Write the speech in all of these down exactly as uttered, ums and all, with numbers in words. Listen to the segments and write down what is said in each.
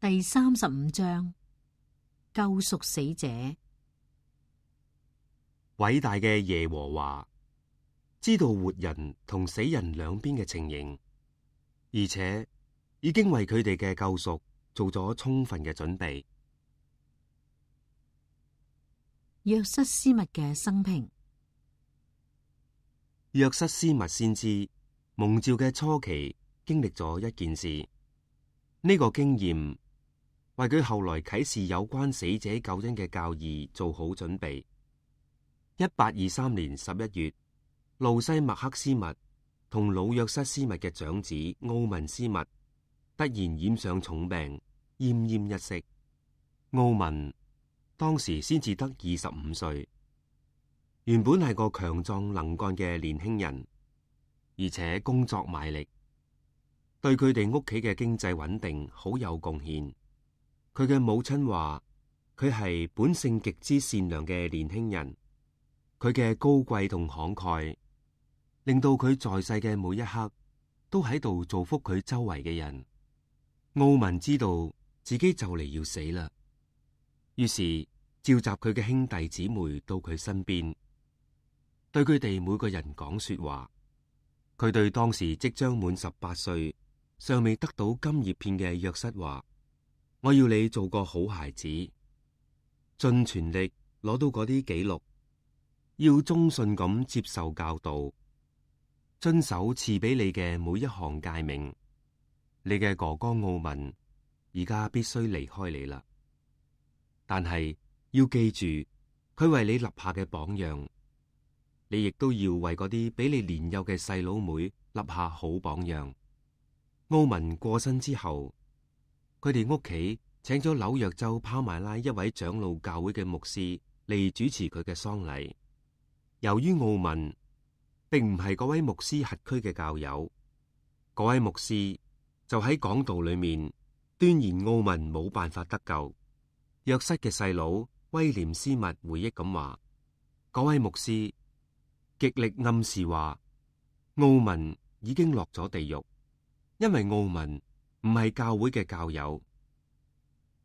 第三十五章，救贖死者。偉大嘅耶和華知道活人同死人兩邊嘅情形，而且已經為佢哋嘅救贖做咗充分嘅準備。約瑟斯密嘅生平。約瑟斯密先知蒙召嘅初期，經歷咗一件事，呢、這個經驗為佢後來啟示有關死者救恩嘅教義做好準備。一八二三年十一月，路西麥克斯密同老約瑟斯密嘅長子奧文斯密突然染上重病，奄奄一息。奧文當時先至得二十五歲，原本係個強壯能幹嘅年輕人，而且工作賣力，對佢哋屋企嘅經濟穩定好有貢獻。佢嘅母親話佢係本性極之善良嘅年輕人，佢嘅高貴同慷慨令到佢在世嘅每一刻都喺度造福佢周圍嘅人。奧文知道自己就嚟要死啦，於是召集佢嘅兄弟姊妹到佢身邊，對佢哋每個人講說話。佢對當時即將滿十八歲、尚未得到金葉片嘅約瑟話：我要你做個好孩子，盡全力攞到嗰啲記錄，要忠信咁接受教導，遵守賜俾你嘅每一項誡命。你嘅哥哥奧文而家必須離開你啦，但係要記住佢為你立下嘅榜樣，你亦都要為嗰啲比你年幼嘅細佬妹立下好榜樣。奧文過身之後，佢哋屋企請咗紐約州帕馬拉一位長老教會嘅牧師嚟主持佢嘅喪禮。由於奧文並唔係嗰位牧師轄區嘅教友，嗰位牧師就喺講道裏面斷言奧文冇辦法得救。約瑟嘅細佬威廉斯密回憶咁話，嗰位牧師極力暗示話奧文已經落咗地獄，因為奧文唔係教會嘅教友，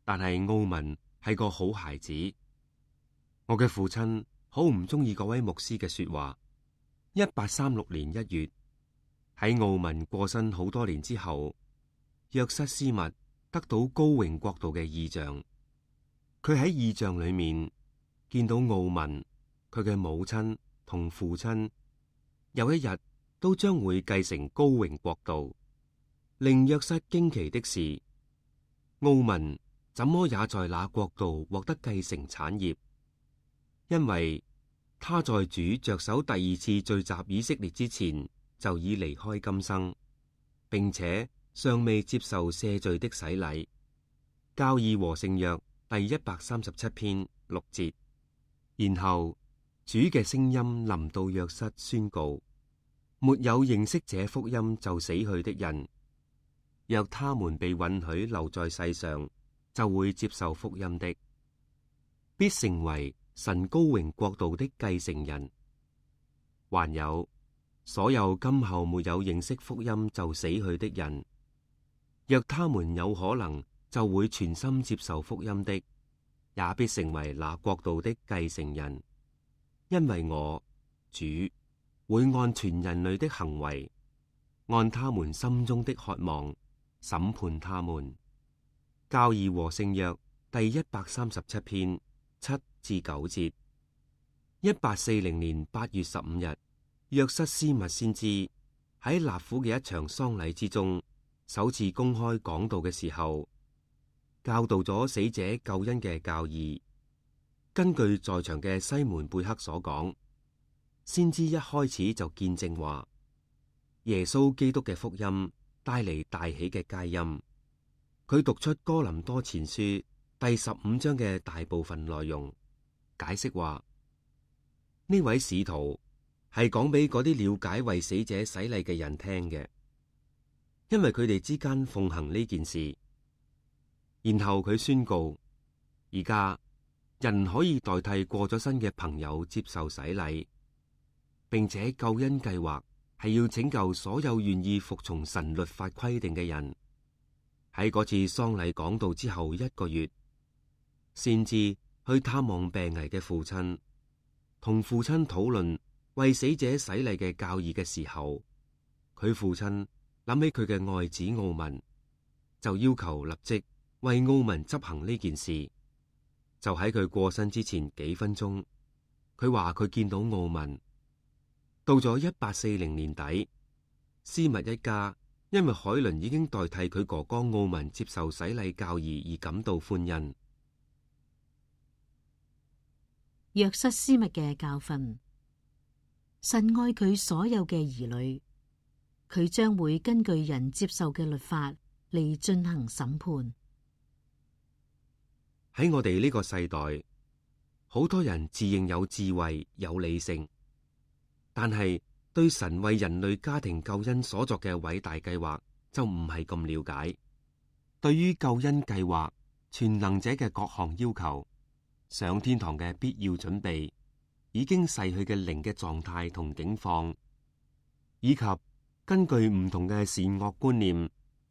但係奧文係個好孩子。我嘅父親好唔中意嗰位牧師嘅說話。一八三六年一月，喺奧文過身好多年之後，約瑟斯密得到高榮國度嘅異象。佢喺異象裏面見到奧文、佢嘅母親同父親有一日都將會繼承高榮國度。令約瑟驚奇的是，奧文怎麼也在那國度獲得繼承產業，因為他在主着手第二次聚集以色列之前就已離開今生，並且尚未接受赦罪的洗禮。教義和聖約第一百三十七篇六節。然後主嘅聲音臨到約瑟，宣告：沒有認識這福音就死去的人，若他們被允許留在世上，就會接受福音的，必成為神高榮國度的繼承人。還有所有今後沒有認識福音就死去的人，若他們有可能就會全心接受福音的，也必成為那國度的繼承人。因為我主會按全人類的行為，按他們心中的渴望審判他們。教義和聖約第一百三十七篇七至九節。一八四零年八月十五日，約瑟斯密先知喺納府嘅一場喪禮之中，首次公開講道嘅時候，教導咗死者救恩嘅教義。根據在場嘅西門貝克所講，先知一開始就見證話，耶穌基督嘅福音帶嚟大喜嘅佳音。佢讀出哥林多前書第十五章嘅大部分內容，解釋話呢位使徒係講俾嗰啲了解為死者洗禮嘅人聽嘅，因為佢哋之間奉行呢件事。然後佢宣告，而家人可以代替過咗身嘅朋友接受洗禮，並且救恩計劃係要拯救所有願意服從神律法規定嘅人。喺嗰次喪禮講道之後一個月，先知去探望病危嘅父親，同父親討論為死者洗禮嘅教義嘅時候，佢父親諗起佢嘅愛子奧文，就要求立即為奧文執行呢件事。就喺佢過身之前幾分鐘，佢話佢見到奧文。到咗一八四零年底，斯密一家因為海倫已經代替佢哥哥奧文接受洗禮教義而感到歡欣。約瑟斯密嘅教訓：神愛佢所有嘅兒女，佢將會根據人接受嘅律法嚟進行審判。喺我哋呢個世代，好多人自認有智慧、有理性，但係對神為人類家庭救恩所作嘅偉大計劃就唔係咁了解。對於救恩計劃、全能者嘅各項要求、上天堂嘅必要準備、已經逝去嘅靈嘅狀態同境況，以及根據唔同嘅善惡觀念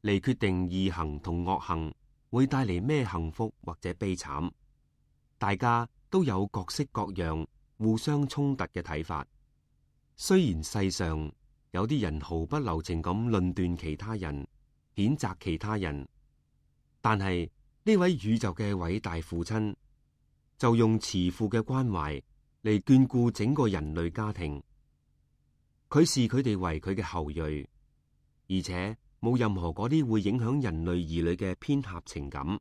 嚟決定義行同惡行會帶嚟咩幸福或者悲慘，大家都有各式各樣互相衝突嘅睇法。雖然世上有啲人毫不留情咁論斷其他人、譴責其他人，但係呢位宇宙嘅偉大父親就用慈父嘅關懷嚟眷顧整個人類家庭。佢視佢哋為佢嘅後裔，而且冇任何嗰啲會影響人類兒女嘅偏狹情感。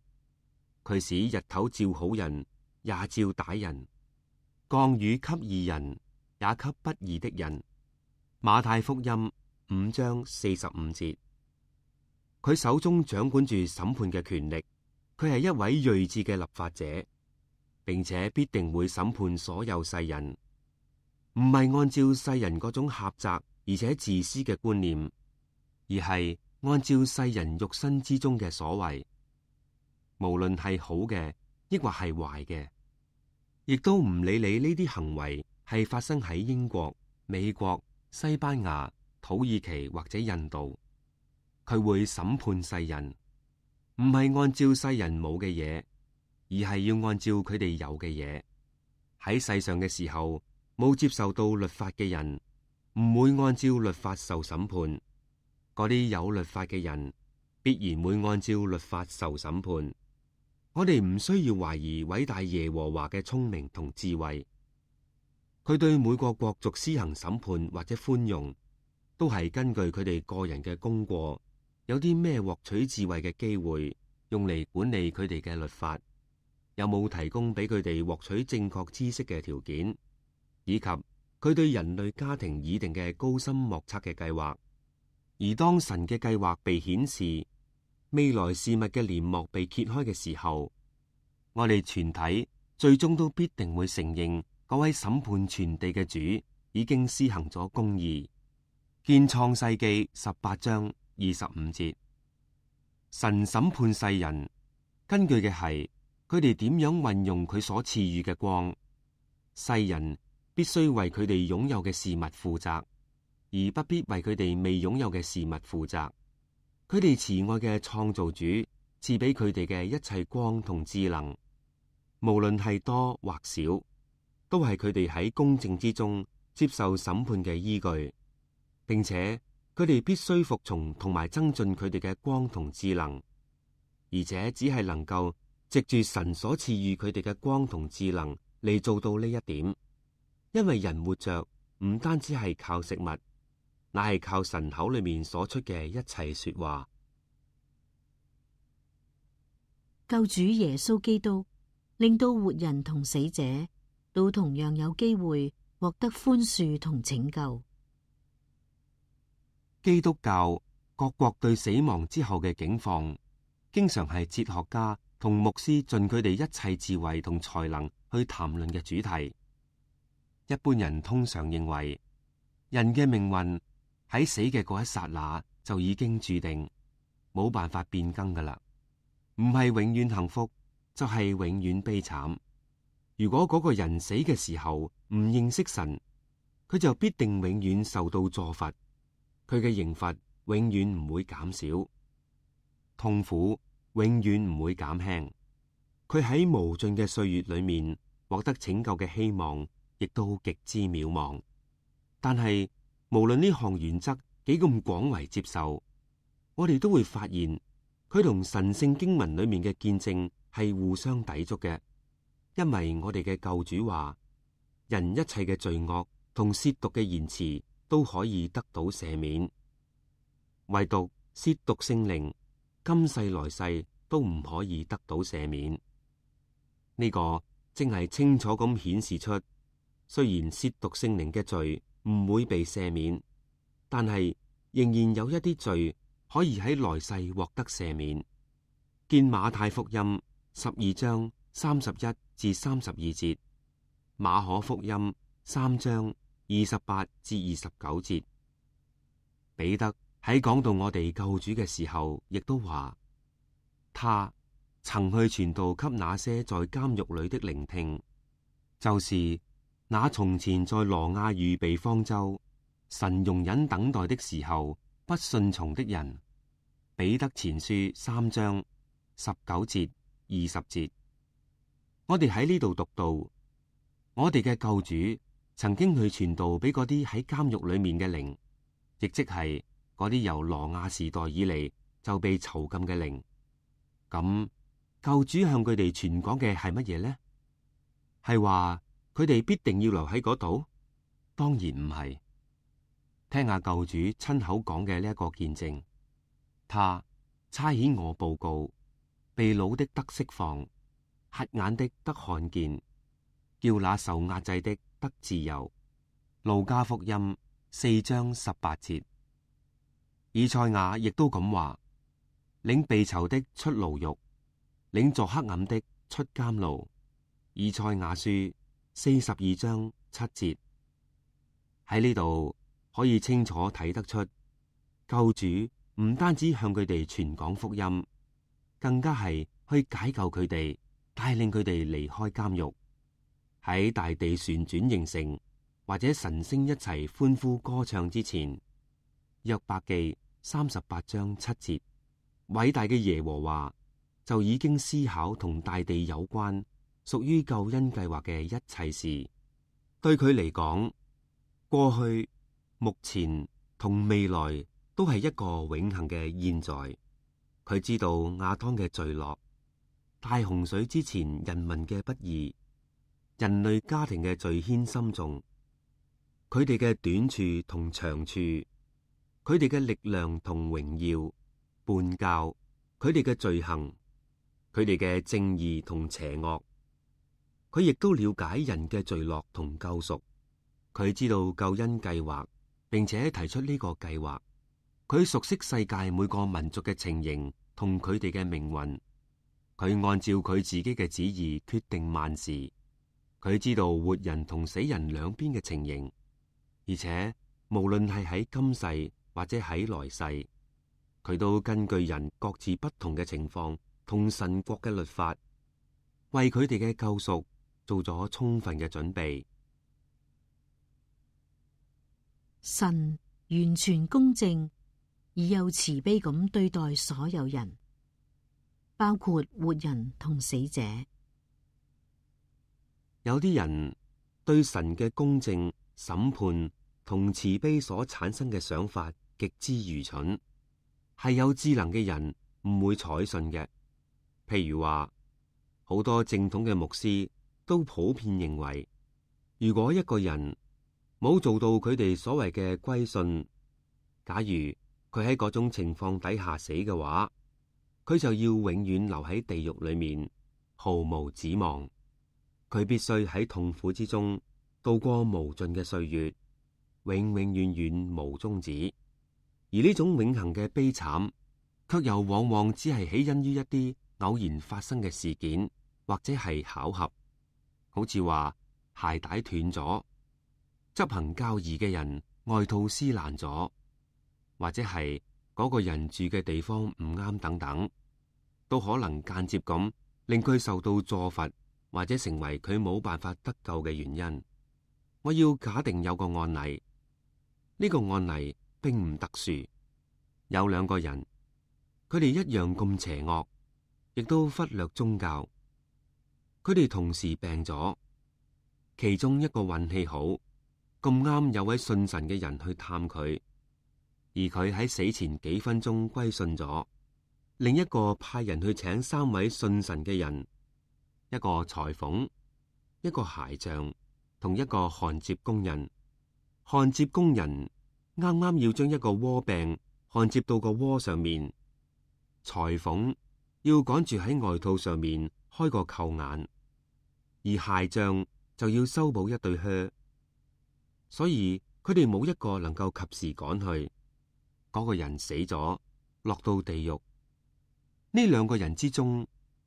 佢使日頭照好人，也照歹人；降雨給義人，也給不義的人。馬太福音五章四十五節。佢手中掌管住審判嘅權力，佢係一位睿智嘅立法者，並且必定會審判所有世人，唔係按照世人嗰種狹窄而且自私嘅觀念，而係按照世人肉身之中嘅所為，無論係好嘅，抑或係壞嘅，亦都唔理你呢啲行為係發生喺英國、美國、西班牙、土耳其或者印度，佢會審判世人，唔係按照世人冇嘅嘢，而係要按照佢哋有嘅嘢。喺世上嘅時候，冇接受到律法嘅人，唔會按照律法受審判。嗰啲有律法嘅人，必然會按照律法受審判。我哋唔需要懷疑偉大耶和華嘅聰明同智慧，佢對每個國族施行審判或者寬容，都係根據佢哋個人嘅功過，有啲咩獲取智慧嘅機會，用嚟管理佢哋嘅律法，有冇提供俾佢哋獲取正確知識嘅條件，以及佢對人類家庭擬定嘅高深莫測嘅計劃。而當神嘅計劃被顯示，未來事物嘅簾幕被揭開嘅時候，我哋全體最終都必定會承認嗰位審判全地嘅主已經施行咗公義。見創世記十八章二十五節。神審判世人，根據嘅係佢哋點樣運用佢所賜予嘅光。世人必須為佢哋擁有嘅事物負責，而不必為佢哋未擁有嘅事物負責。佢哋慈愛嘅創造主賜俾佢哋嘅一切光同智能，無論係多或少，都係佢哋喺公正之中接受審判嘅依據，並且佢哋必須服從同埋增進佢哋嘅光同智能，而且只係能夠藉住神所賜予佢哋嘅光同智能嚟做到呢一點。因為人活着唔單止係靠食物，乃係靠神口裏面所出嘅一切說話。救主耶穌基督令到活人同死者都同樣有機會獲得寬恕同拯救。基督教各國對死亡之後嘅境況，經常係哲學家同牧師盡佢哋一切智慧同才能去談論嘅主題。一般人通常認為，人嘅命運喺死嘅嗰一剎那就已經注定，冇辦法變更噶啦，唔係永遠幸福，就係永遠悲慘。如果嗰個人死嘅時候唔認識神，佢就必定永遠受到詛罰，佢嘅刑罰永遠唔會減少。痛苦永遠唔會減輕。佢喺無盡嘅歲月裏面獲得拯救嘅希望，亦都極之渺茫。但係無論呢項原則幾咁廣為接受，我哋都會發現佢同神聖經文裏面嘅見證係互相抵觸嘅。因為我哋嘅救主話，人一切嘅罪惡同褻瀆嘅言辭都可以得到赦免，唯獨褻瀆聖靈，今世來世都唔可以得到赦免。呢個正係清楚咁顯示出，雖然褻瀆聖靈嘅罪唔會被赦免，但係仍然有一啲罪可以喺來世獲得赦免。見馬太福音十二章三十一至三十二節，馬可福音三章二十八至二十九節。彼得喺講到我哋救主嘅時候，亦都話，他曾去傳道給那些在監獄裏的聆聽，就是那從前在羅亞預備方舟，神容忍等待的時候不順從的人。彼得前書三章十九節二十節。我哋喺呢度讀到，我哋嘅救主曾經去傳道俾嗰啲喺監獄裏面嘅靈，亦即係嗰啲由羅亞時代以嚟就被囚禁嘅靈。咁救主向佢哋傳講嘅係乜嘢呢？係話佢哋必定要留喺嗰度？當然唔係。聽下救主親口講嘅呢一個見證，他差遣我報告，被擄的得釋放，瞎眼的得看見，叫那受壓制的得自由。路加福音四章十八節。以賽亞亦都咁話，領被囚的出牢獄，領作黑暗的出監牢。以賽亞書四十二章七節。喺呢度可以清楚睇得出，救主唔單止向佢哋傳講福音，更加係去解救佢哋，帶領佢哋離開監獄，喺大地旋轉形成或者神星一齊歡呼歌唱之前。約伯記三十八章七節，偉大嘅耶和華就已經思考同大地有關屬於救恩計劃嘅一切事。對佢嚟講，過去、目前同未來都係一個永恆嘅現在。佢知道亞當嘅墜落、大洪水之前人民嘅不義、人類家庭嘅罪愆深重，佢哋嘅短處同長處，佢哋嘅力量同榮耀、叛教，佢哋嘅罪行，佢哋嘅正義同邪惡。佢亦都了解人嘅墜落同救贖。佢知道救恩計劃，並且提出呢個計劃。佢熟悉世界每個民族嘅情形同佢哋嘅命運。佢按照佢自己嘅旨意決定萬事。佢知道活人同死人兩邊嘅情形，而且無論係喺今世或者喺來世，佢都根據人各自不同嘅情況同神國嘅律法，為佢哋嘅救贖做咗充分嘅準備。神完全公正而又慈悲咁對待所有人，包括活人同死者。有啲人對神嘅公正、審判同慈悲所產生嘅想法極之愚蠢，係有智能嘅人唔會採信嘅。譬如話，好多正統嘅牧師都普遍認為，如果一個人冇做到佢哋所謂嘅歸信，假如佢喺嗰種情況底下死嘅話，佢就要永遠留喺地獄裏面，毫無指望。佢必須喺痛苦之中度過無盡嘅歲月，永永遠遠無終止。而呢種永恆嘅悲慘，卻又往往只係起因於一啲偶然發生嘅事件，或者係巧合，好似話鞋帶斷咗，執行教義嘅人外套撕爛咗，或者係嗰個人住嘅地方唔啱等等，都可能間接咁令佢受到詛罰，或者成為佢冇辦法得救嘅原因。我要假定有個案例，呢個案例並唔特殊，有兩個人，佢哋一樣咁邪惡，亦都忽略宗教。佢哋同時病咗，其中一個運氣好，咁啱有位信神嘅人去探佢，而佢喺死前幾分鐘歸信咗。另一個派人去請三位信神嘅人，一個裁縫，一個鞋匠，同一個焊接工人。焊接工人啱啱要將一個鍋柄焊接到個鍋上面，裁縫要趕住喺外套上面開個扣眼，而鞋匠就要修補一對靴。所以佢哋冇一個能夠及時趕去。嗰個人死咗，落到地獄。呢兩個人之中，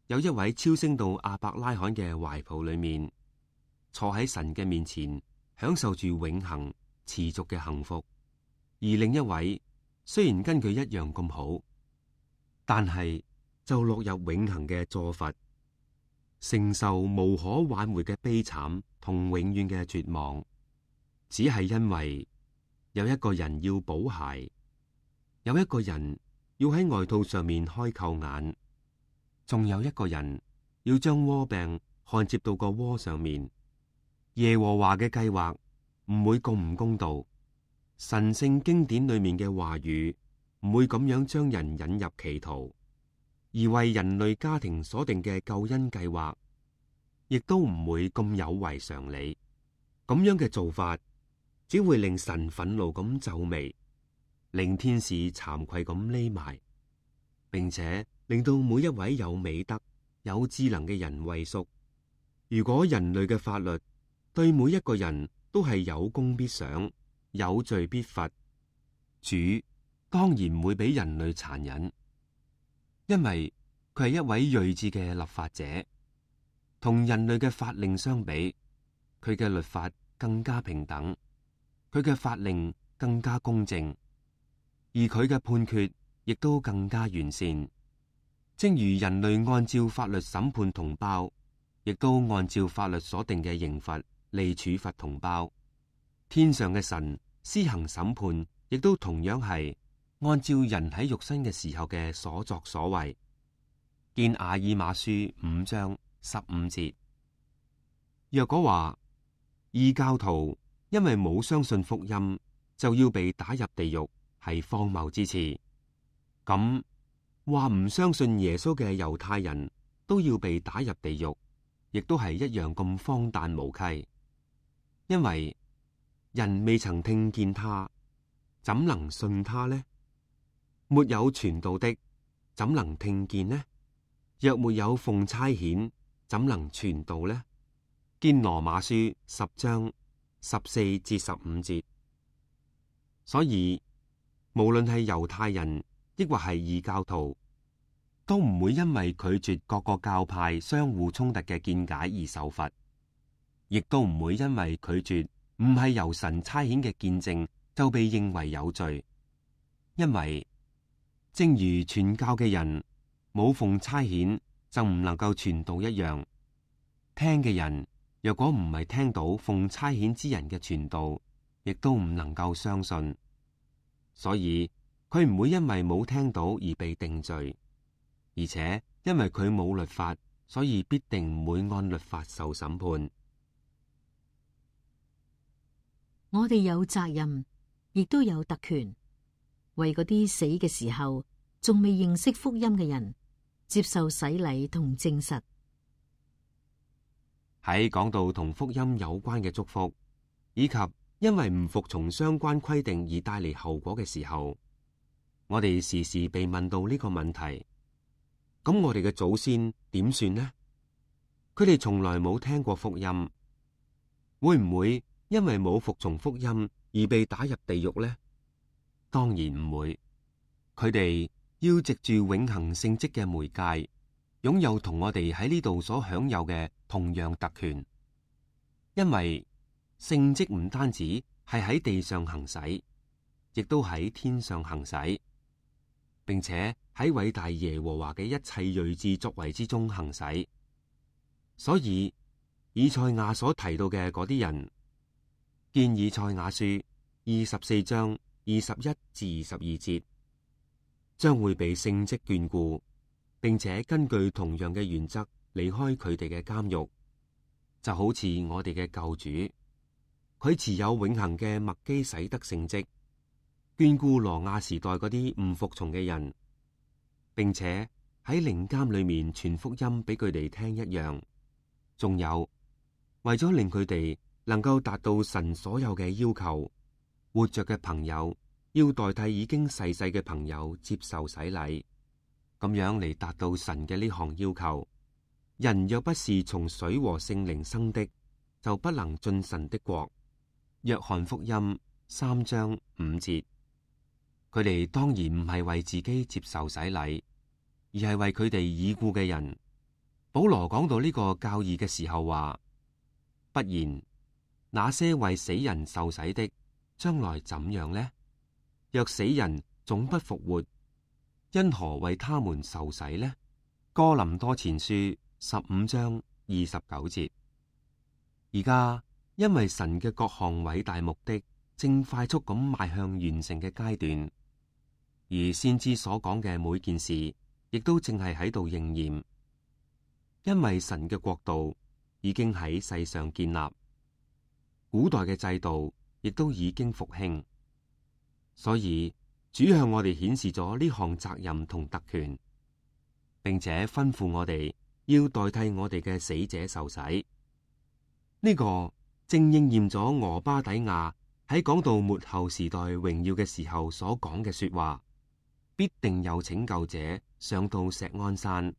有一位超升到亞伯拉罕嘅懷抱裏面，坐喺神嘅面前，享受住永恆持續嘅幸福；而另一位雖然跟佢一樣咁好，但係就落入永恆嘅坐罰，承受無可挽回嘅悲慘同永遠嘅絕望，只係因為有一個人要補鞋，有一個人要喺外套上面開扣眼，仲有一個人要將鍋柄焊接到個鍋上面。耶和華嘅計劃唔會咁唔公道，神聖經典裏面嘅話語唔會咁樣將人引入歧途，而為人類家庭所定嘅救恩計劃，亦都唔會咁有違常理。咁樣嘅做法，只會令神憤怒咁皺眉，令天使慚愧咁匿埋，並且令到每一位有美德、有智能嘅人畏縮。如果人類嘅法律對每一個人都係有功必賞、有罪必罰，主當然唔會俾人類殘忍，因為佢係一位睿智嘅立法者。同人類嘅法令相比，佢嘅律法更加平等，佢嘅法令更加公正，而佢嘅判決亦都更加完善。正如人類按照法律審判同胞，亦都按照法律所定嘅刑罰嚟處罰同胞。天上嘅神施行審判，亦都同樣係按照人喺肉身嘅時候嘅所作所為。見亞爾馬書五章十五節。若果話異教徒因為冇相信福音就要被打入地獄，係荒謬之詞，咁話唔相信耶穌嘅猶太人都要被打入地獄，亦都係一樣咁荒誕無稽。因為人未曾聽見他，怎能信他呢？沒有傳道的，怎能聽見呢？若沒有奉差遣，怎能傳道呢？見羅馬書十章十四至十五節。所以無論係猶太人抑或係異教徒，都唔會因為拒絕各個教派相互衝突嘅見解而受罰，亦都唔會因為拒絕唔係由神差遣嘅見證就被認為有罪。因為正如傳教嘅人冇奉差遣就唔能夠傳道一樣，聽嘅人若果唔係聽到奉差遣之人嘅傳道，亦都唔能夠相信。所以佢唔會因為冇聽到而被定罪，而且因為佢冇律法，所以必定唔會按律法受審判。我哋有責任，亦都有特權，為嗰啲死嘅時候仲未認識福音嘅人接受洗禮同證實。喺講到同福音有關嘅祝福，以及因為唔服從相關規定而帶嚟後果嘅時候，我哋時時被問到呢個問題：咁我哋嘅祖先點算呢？佢哋從來冇聽過福音，會唔會因為冇服從福音而被打入地獄呢？當然唔會。佢哋要藉住永恆聖職嘅媒介，擁有同我哋喺呢度所享有嘅同樣特權，因為聖職唔單止係喺地上行使，亦都喺天上行使，並且喺偉大耶和華嘅一切睿智作為之中行使。所以以賽亞所提到嘅嗰啲人，見以賽亞書二十四章二十一至二十二節，將會被聖職眷顧，並且根據同樣嘅原則離開佢哋嘅監獄，就好似我哋嘅救主，佢持有永恆嘅麥基洗德聖職，眷顧羅亞時代嗰啲唔服從嘅人，並且喺靈監裏面傳福音俾佢哋聽一樣。仲有，為咗令佢哋能夠達到神所有嘅要求，活着嘅朋友要代替已經逝世嘅朋友接受洗禮，咁樣嚟達到神嘅呢項要求。人若不是從水和聖靈生的，就不能進神的國。約翰福音三章五節。佢哋當然唔係為自己接受洗禮，而係為佢哋已故嘅人。保羅講到呢個教義嘅時候話：不然，那些為死人受洗的，將來怎樣呢？若死人總不復活，因何為他們受洗呢？哥林多前書十五章二十九節。而家因為神嘅各項偉大目的正快速咁邁向完成嘅階段，而先知所講嘅每件事亦都正係喺度應驗。因為神嘅國度已經喺世上建立，古代嘅制度亦都已經復興，所以主向我哋顯示咗呢項責任同特權，並且吩咐我哋要代替我哋嘅死者受洗。呢個正應驗咗俄巴底亞喺講到末後時代榮耀嘅時候所講嘅說話：必定有拯救者上到錫安山，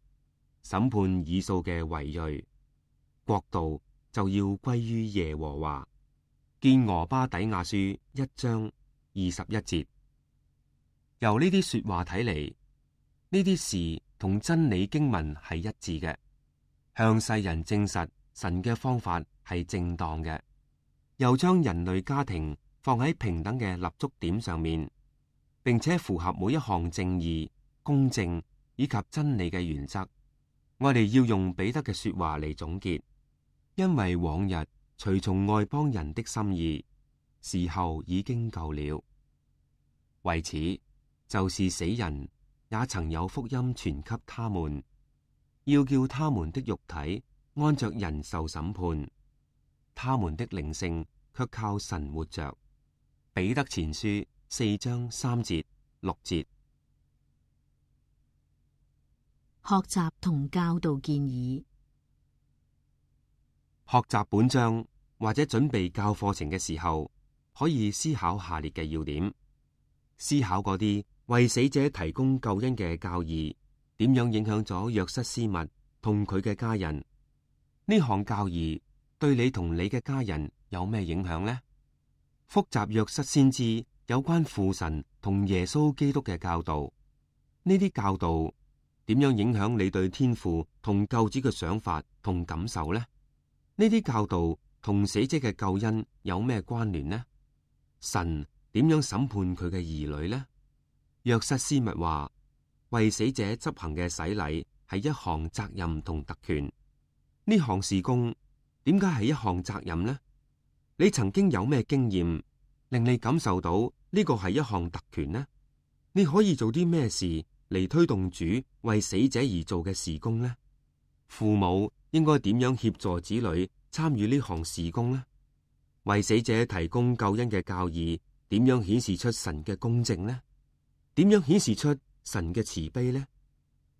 審判以掃嘅遺裔，國度就要歸於耶和華。見俄巴底亞書一章二十一節。由呢啲說話睇嚟，呢啲事同真理經文係一致嘅，向世人證實神嘅方法係正當嘅，又將人類家庭放喺平等嘅立足點上面，並且符合每一項正義、公正以及真理嘅原則。我哋要用彼得嘅說話嚟總結，因為往日隨從外邦人的心意，時候已經夠了。為此，就是死人也曾有福音傳給他們，要叫他們的肉體按着人受審判，他們的靈性卻靠神活着。彼得前書四章三節六節。學習同教導建議。學習本章或者準備教課程嘅時候，可以思考下列嘅要點：思考嗰啲為死者提供救恩嘅教義點樣影響咗約瑟斯密同佢嘅家人。呢項教義對你同你嘅家人有咩影響呢？複習約瑟先知有關父神同耶穌基督嘅教導，呢啲教導點樣影響你對天父同救主嘅想法同感受呢？呢啲教導同死者嘅救恩有咩關聯呢？神點樣審判佢嘅兒女呢？約瑟斯密話：為死者執行嘅洗禮係一項責任同特權。呢項事工點解係一項責任呢？你曾經有咩經驗令你感受到呢個係一項特權呢？你可以做啲咩事嚟推動主為死者而做嘅事工呢？父母應該點樣協助子女參與呢項事工呢？為死者提供救恩嘅教義點樣顯示出神嘅公正呢？點樣顯示出神嘅慈悲呢？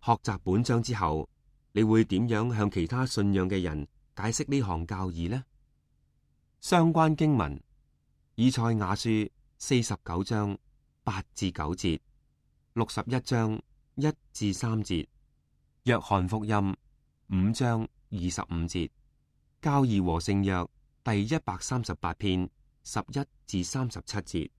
學習本章之後，你會點樣向其他信仰嘅人解釋呢項教義呢？相關經文：以賽亞書四十九章八至九節，六十一章一至三節，約翰福音五章二十五節，教義和聖約第一百三十八篇十一至三十七節。